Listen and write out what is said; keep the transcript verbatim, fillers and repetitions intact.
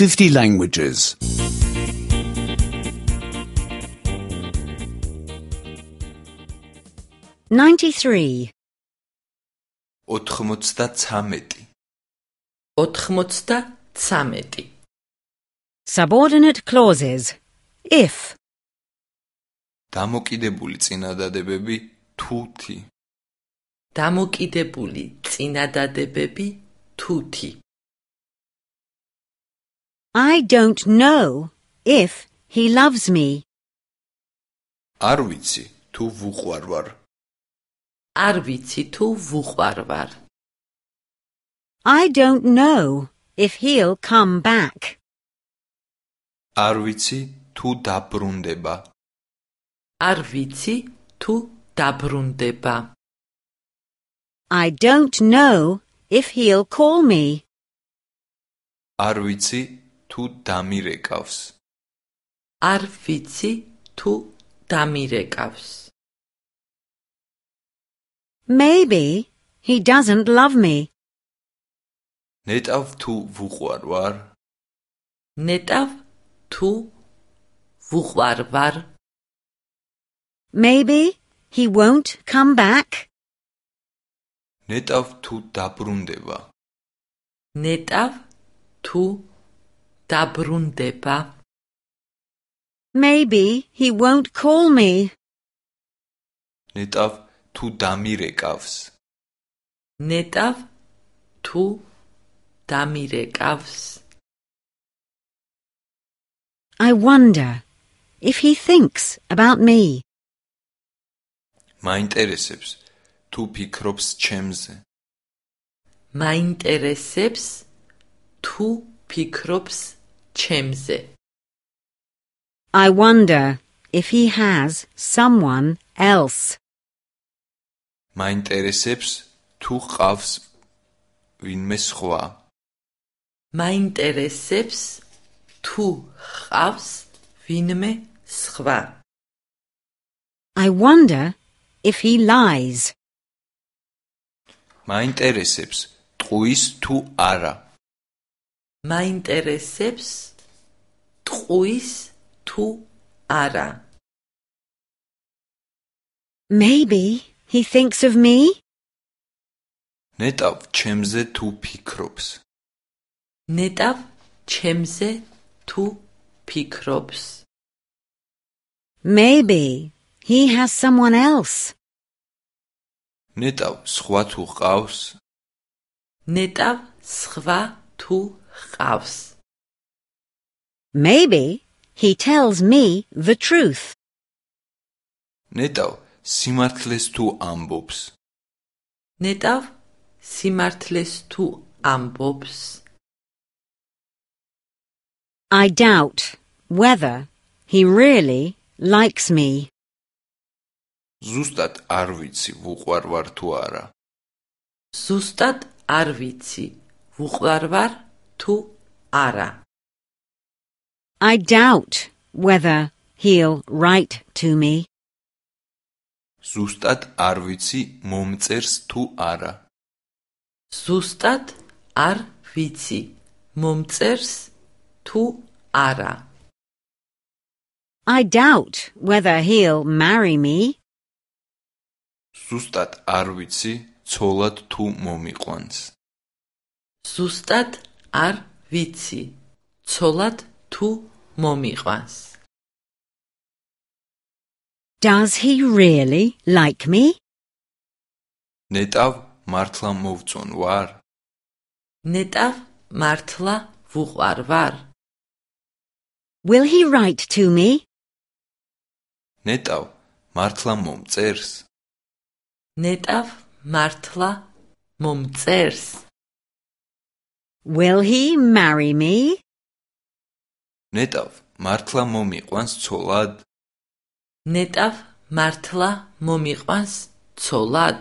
fifty languages. ninety-three. ოთხმოცდაცამეტი. ოთხმოცდაცამეტი. Subordinate clauses. If. დამოკიდებული წინადადებები თუთი. დამოკიდებული წინადადებები თუთი. I don't know if he loves me. არ ვიცი თუ ვუყვარვარ. არ ვიცი თუ ვუყვარვარ. I don't know if he'll come back. არ ვიცი თუ დაბრუნდება. არ ვიცი თუ დაბრუნდება. I don't know if he'll call me. არ ვიცი თუ დამირეკავს. არ ვიცი თუ დამირეკავს. Maybe he doesn't love me. ნეტავ თუ ვუყვარვარ. ნეტავ თუ ვუყვარვარ. Maybe he won't come back. ნეტავ თუ დაბრუნდება. ნეტავ თუ დაბრუნდება. Maybe he won't call me. ნეტავ თუ დამირეკავს. ნეტავ თუ დამირეკავს. I wonder if he thinks about me. მაინტერესებს თუ ფიქრობს ჩემზე. მაინტერესებს თუ ფიქრობს ჩემზე. I wonder if he has someone else. მაინტერესებს თუ ყავს ვინმე სხვა. მაინტერესებს თუ ყავს ვინმე სხვა. I wonder if he lies. მაინტერესებს ტყუის თუ არა. მაინტერესებს ტყუის თუ არა. Maybe he thinks of me. ნეტავ ჩემზე თუ ფიქრობს. ნეტავ ჩემზე თუ ფიქრობს. Maybe he has someone else. ნეტავ სხვა თუ ყავს. ნეტავ სხვა თუ ყავს. Maybe he tells me the truth. ნეტავ სიმართლეს თუ ამბობს. ნეტავ სიმართლეს თუ ამბობს. I doubt whether he really likes me. ზუსტად არ ვიცი ვუყვარვარ თუ არა. ზუსტად არ ვიცი ვუყვარვარ თუ არა. I doubt whether he'll write to me. ზუსტად არ ვიცი მომწერს თუ არა. ზუსტად არ ვიცი მომწერს თუ არა. I doubt whether he'll marry me. ზუსტად არ ვიცი ცოლად თუ მომიყვანს. ზუსტად არ ვიცი ცოლად თუ მომიყვანს. Does he really like me? ნეტავ მართლა მოვწონ ვარ. ნეტავ მართლა ვუყვარვარ. Will he write to me? ნეტავ მართლა მომწერს. ნეტავ მართლა მომწერს. Will he marry me? ნეტავ მართლა მომიყვანს ცოლად. ნეტავ მართლა მომიყვანს ცოლად.